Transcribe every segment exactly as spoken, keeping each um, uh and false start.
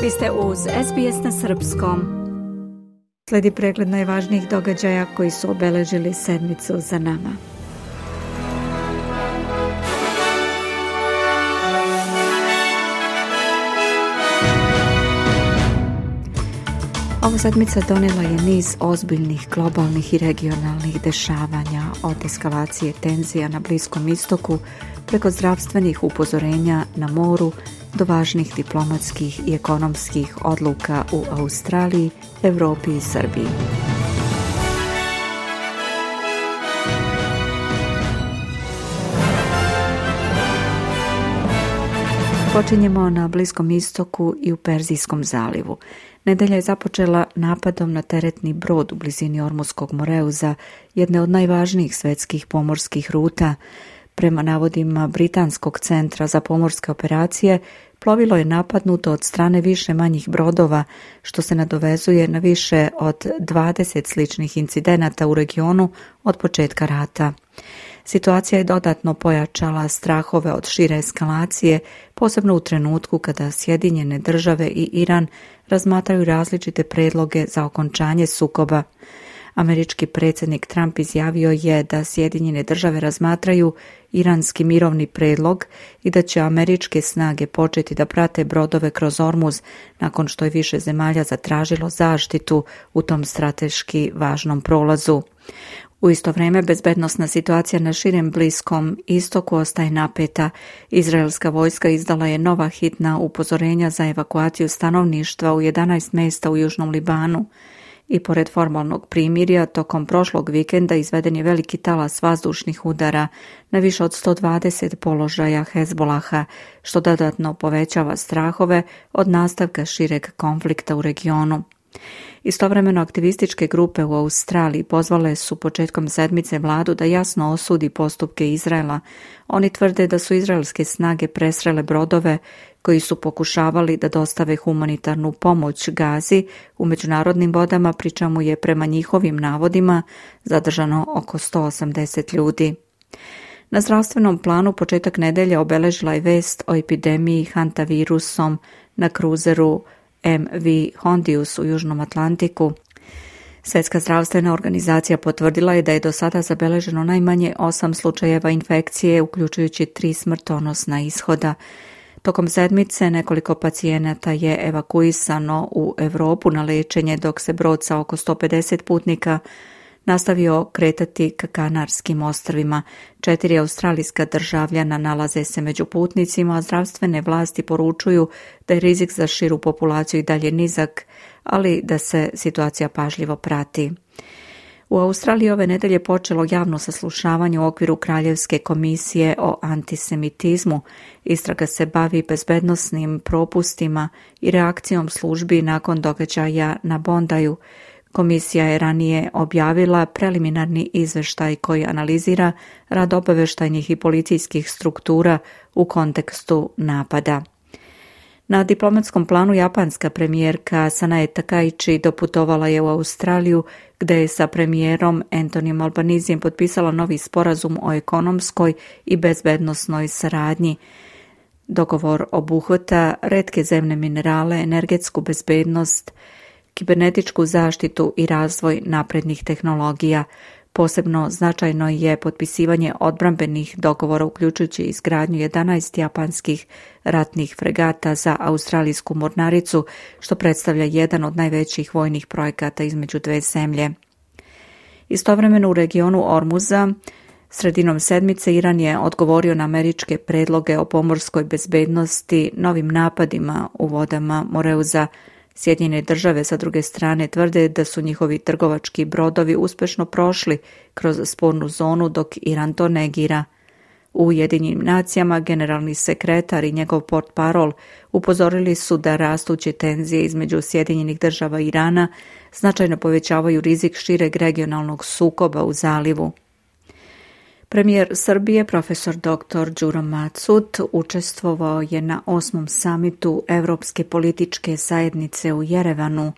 Vi ste uz S B S na srpskom. Slijedi pregled najvažnijih događaja koji su obeležili sedmicu za nama. Ova sedmica donijela je niz ozbiljnih globalnih i regionalnih dešavanja, od eskalacije tenzija na Bliskom istoku preko zdravstvenih upozorenja na moru do važnih diplomatskih i ekonomskih odluka u Australiji, Europi i Srbiji. Počinjemo na Bliskom istoku i u Perzijskom zalivu. Nedelja je započela napadom na teretni brod u blizini Ormuskog Moreuza, jedne od najvažnijih svetskih pomorskih ruta. Prema navodima Britanskog centra za pomorske operacije, plovilo je napadnuto od strane više manjih brodova, što se nadovezuje na više od dvadeset sličnih incidenata u regionu od početka rata. Situacija je dodatno pojačala strahove od šire eskalacije, posebno u trenutku kada Sjedinjene države i Iran razmatraju različite predloge za okončanje sukoba. Američki predsjednik Trump izjavio je da Sjedinjene države razmatraju iranski mirovni predlog i da će američke snage početi da prate brodove kroz Ormuz nakon što je više zemalja zatražilo zaštitu u tom strateški važnom prolazu. U isto vrijeme bezbednosna situacija na širem Bliskom istoku ostaje napeta. Izraelska vojska izdala je nova hitna upozorenja za evakuaciju stanovništva u jedanaest mjesta u Južnom Libanu. I pored formalnog primirja, tokom prošlog vikenda izveden je veliki talas vazdušnih udara na više od sto dvadeset položaja Hezbolaha, što dodatno povećava strahove od nastavka šireg konflikta u regionu. Istovremeno aktivističke grupe u Australiji pozvale su početkom sedmice vladu da jasno osudi postupke Izraela. Oni tvrde da su izraelske snage presrele brodove koji su pokušavali da dostave humanitarnu pomoć Gazi u međunarodnim vodama, pri čemu je prema njihovim navodima zadržano oko sto osamdeset ljudi. Na zdravstvenom planu početak nedelje obeležila je vest o epidemiji hantavirusom na kruzeru M V Hondius u Južnom Atlantiku. Svjetska zdravstvena organizacija potvrdila je da je do sada zabeleženo najmanje osam slučajeva infekcije, uključujući tri smrtonosna ishoda. Tokom sedmice nekoliko pacijenata je evakuisano u Europu na liječenje, dok se brod sa oko sto pedeset putnika nastavio kretati ka Kanarskim ostrvima. Četiri australijska državljana nalaze se među putnicima, a zdravstvene vlasti poručuju da je rizik za širu populaciju i dalje nizak, ali da se situacija pažljivo prati. U Australiji ove nedelje počelo javno saslušavanje u okviru Kraljevske komisije o antisemitizmu. Istraga se bavi bezbednosnim propustima i reakcijom službi nakon događaja na Bondaju. Komisija je ranije objavila preliminarni izveštaj koji analizira rad obavještajnih i policijskih struktura u kontekstu napada. Na diplomatskom planu japanska premijerka Sanae Takaichi doputovala je u Australiju, gdje je sa premijerom Anthonyjem Albanizijem potpisala novi sporazum o ekonomskoj i bezbednosnoj saradnji. Dogovor obuhvata retke zemne minerale, energetsku bezbednost, kibernetičku zaštitu i razvoj naprednih tehnologija. Posebno značajno je potpisivanje odbrambenih dogovora, uključujući izgradnju jedanaest japanskih ratnih fregata za australijsku mornaricu, što predstavlja jedan od najvećih vojnih projekata između dve zemlje. Istovremeno u regionu Ormuza, sredinom sedmice, Iran je odgovorio na američke predloge o pomorskoj bezbednosti novim napadima u vodama Moreuza. Sjedinjene države sa druge strane tvrde da su njihovi trgovački brodovi uspješno prošli kroz spornu zonu, dok Iran to negira. U Ujedinjenim nacijama generalni sekretar i njegov portparol upozorili su da rastuće tenzije između Sjedinjenih država i Irana značajno povećavaju rizik šireg regionalnog sukoba u zalivu. Premijer Srbije, profesor doktor Đuro Macut, učestvovao je na osmom samitu Evropske političke zajednice u Jerevanu.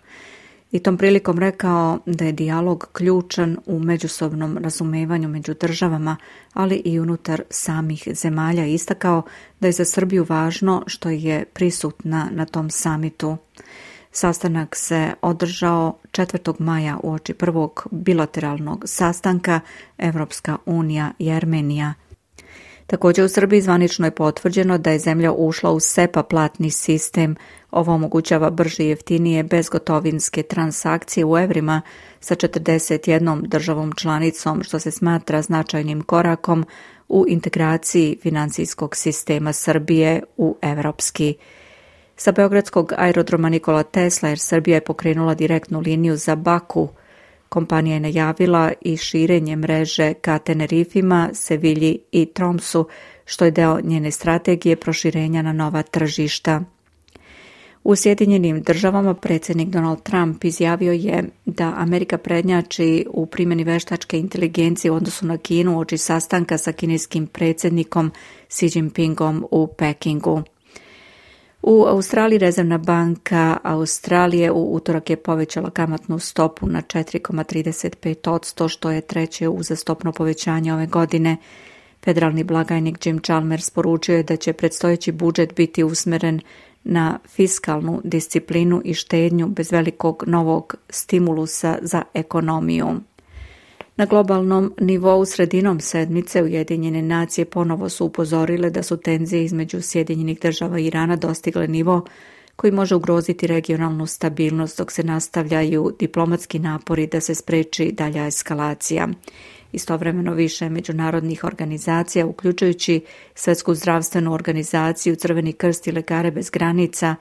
i tom prilikom rekao da je dijalog ključan u međusobnom razumevanju među državama, ali i unutar samih zemalja. Istakao da je za Srbiju važno što je prisutna na tom samitu. Sastanak se održao četvrtog maja uoči prvog bilateralnog sastanka Evropska unija i Armenija. Također u Srbiji zvanično je potvrđeno da je zemlja ušla u SEPA platni sistem. Ovo omogućava brže i jeftinije bezgotovinske transakcije u evrima sa četrdeset jednom državom članicom, što se smatra značajnim korakom u integraciji financijskog sistema Srbije u evropski. Sa beogradskog aerodroma Nikola Tesla, jer Srbija je pokrenula direktnu liniju za Baku. Kompanija je najavila i širenje mreže ka Tenerifima, Sevilji i Tromsu, što je deo njene strategije proširenja na nova tržišta. U Sjedinjenim državama predsjednik Donald Trump izjavio je da Amerika prednjači u primjeni veštačke inteligencije u odnosu na Kinu uoči sastanka sa kineskim predsjednikom Xi Jinpingom u Pekingu. U Australiji Rezervna banka Australije u utorak je povećala kamatnu stopu na četiri zarez trideset pet posto, što je treće uzastopno povećanje ove godine. Federalni blagajnik Jim Chalmers poručio je da će predstojeći budžet biti usmeren na fiskalnu disciplinu i štednju bez velikog novog stimulusa za ekonomiju. Na globalnom nivou sredinom sedmice Ujedinjene nacije ponovo su upozorile da su tenzije između Sjedinjenih država i Irana dostigle nivo koji može ugroziti regionalnu stabilnost dok se nastavljaju diplomatski napori da se spreči dalja eskalacija. Istovremeno više međunarodnih organizacija, uključujući Svjetsku zdravstvenu organizaciju, Crveni krst i Lekare bez granica,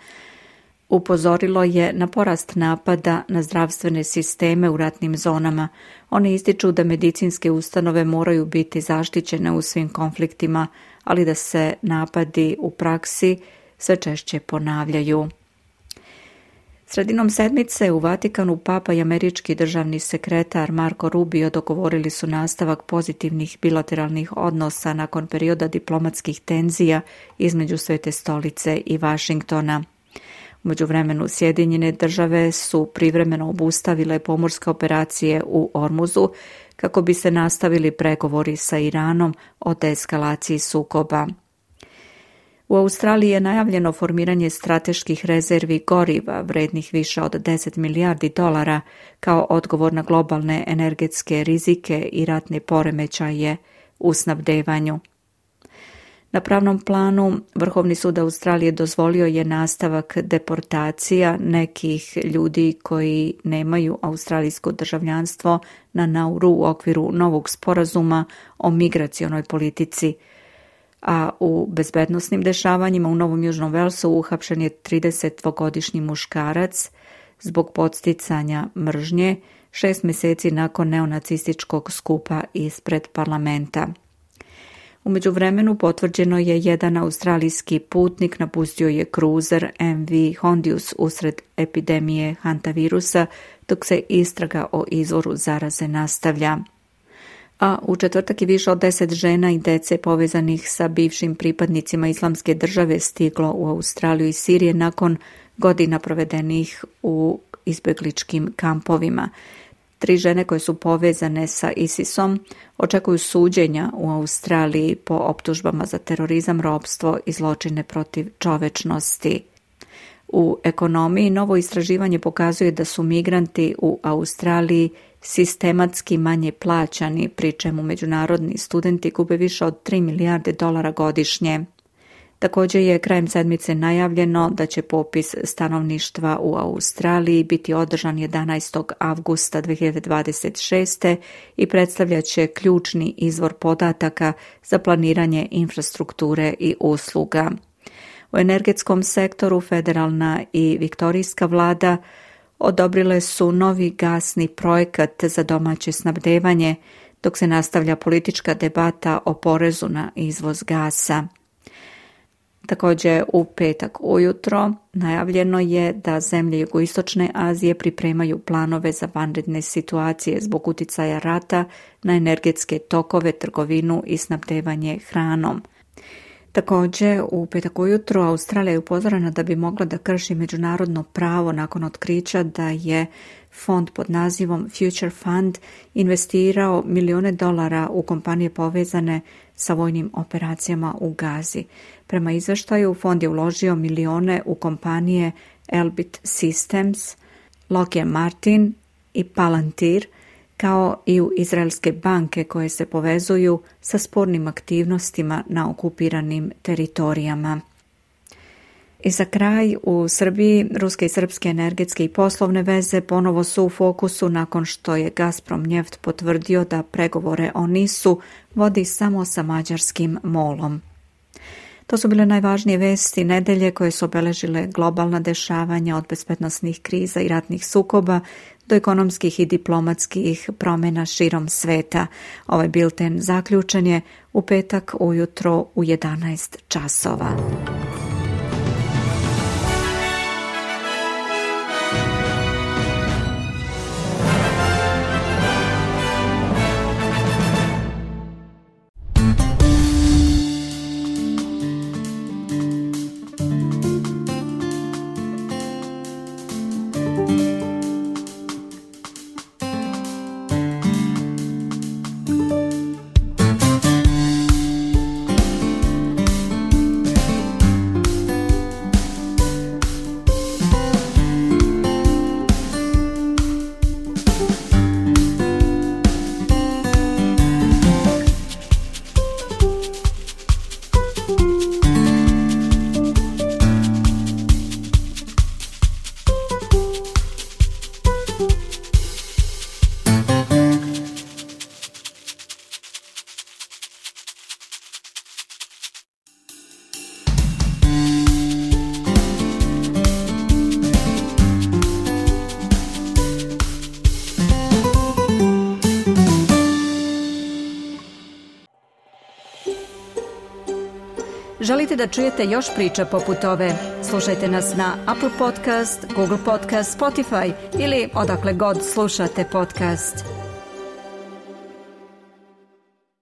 upozorilo je na porast napada na zdravstvene sisteme u ratnim zonama. Oni ističu da medicinske ustanove moraju biti zaštićene u svim konfliktima, ali da se napadi u praksi sve češće ponavljaju. Sredinom sedmice u Vatikanu Papa i američki državni sekretar Marco Rubio dogovorili su nastavak pozitivnih bilateralnih odnosa nakon perioda diplomatskih tenzija između Svete stolice i Vašingtona. U međuvremenu Sjedinjene države su privremeno obustavile pomorske operacije u Ormuzu kako bi se nastavili pregovori sa Iranom o deeskalaciji sukoba. U Australiji je najavljeno formiranje strateških rezervi goriva vrednih više od deset milijardi dolara kao odgovor na globalne energetske rizike i ratne poremećaje u snabdevanju. Na pravnom planu Vrhovni sud Australije dozvolio je nastavak deportacija nekih ljudi koji nemaju australijsko državljanstvo na Nauru u okviru novog sporazuma o migracionoj politici, a u bezbednosnim dešavanjima u Novom Južnom Velsu uhapšen je tridesetdvogodišnji muškarac zbog podsticanja mržnje šest mjeseci nakon neonacističkog skupa ispred parlamenta. U međuvremenu potvrđeno je jedan australijski putnik napustio je kruzer M V Hondius usred epidemije hantavirusa, dok se istraga o izvoru zaraze nastavlja. A u četvrtak je više od deset žena i dece povezanih sa bivšim pripadnicima Islamske države stiglo u Australiju i Sirije nakon godina provedenih u izbjegličkim kampovima. Tri žene koje su povezane sa ISISom očekuju suđenja u Australiji po optužbama za terorizam, ropstvo i zločine protiv čovečnosti. U ekonomiji novo istraživanje pokazuje da su migranti u Australiji sistematski manje plaćani, pri čemu međunarodni studenti gube više od tri milijarde dolara godišnje. Također je krajem sedmice najavljeno da će popis stanovništva u Australiji biti održan jedanaestog avgusta dve hiljade dvadeset šeste i predstavljat će ključni izvor podataka za planiranje infrastrukture i usluga. U energetskom sektoru federalna i viktorijska vlada odobrile su novi gasni projekat za domaće snabdevanje, dok se nastavlja politička debata o porezu na izvoz gasa. Također u petak ujutro najavljeno je da zemlje jugoistočne Azije pripremaju planove za vanredne situacije zbog uticaja rata na energetske tokove, trgovinu i snabdevanje hranom. Također, u petak ujutro Australija je upozorena da bi mogla da krši međunarodno pravo nakon otkrića da je fond pod nazivom Future Fund investirao milijune dolara u kompanije povezane sa vojnim operacijama u Gazi. Prema izveštaju, fond je uložio milijune u kompanije Elbit Systems, Lockheed Martin i Palantir, kao i u izraelske banke koje se povezuju sa spornim aktivnostima na okupiranim teritorijama. I za kraj, u Srbiji ruske i srpske energetske i poslovne veze ponovo su u fokusu nakon što je Gazprom Njeft potvrdio da pregovore o nisu vodi samo sa mađarskim molom. To su bile najvažnije vesti nedelje koje su obeležile globalna dešavanja od bezbednosnih kriza i ratnih sukoba do ekonomskih i diplomatskih promjena širom sveta. Ovaj bilten zaključen je u petak ujutro u jedanaest časova. Želite da čujete još priča poput ove? Slušajte nas na Apple Podcast, Google Podcast, Spotify ili odakle god slušate podcast.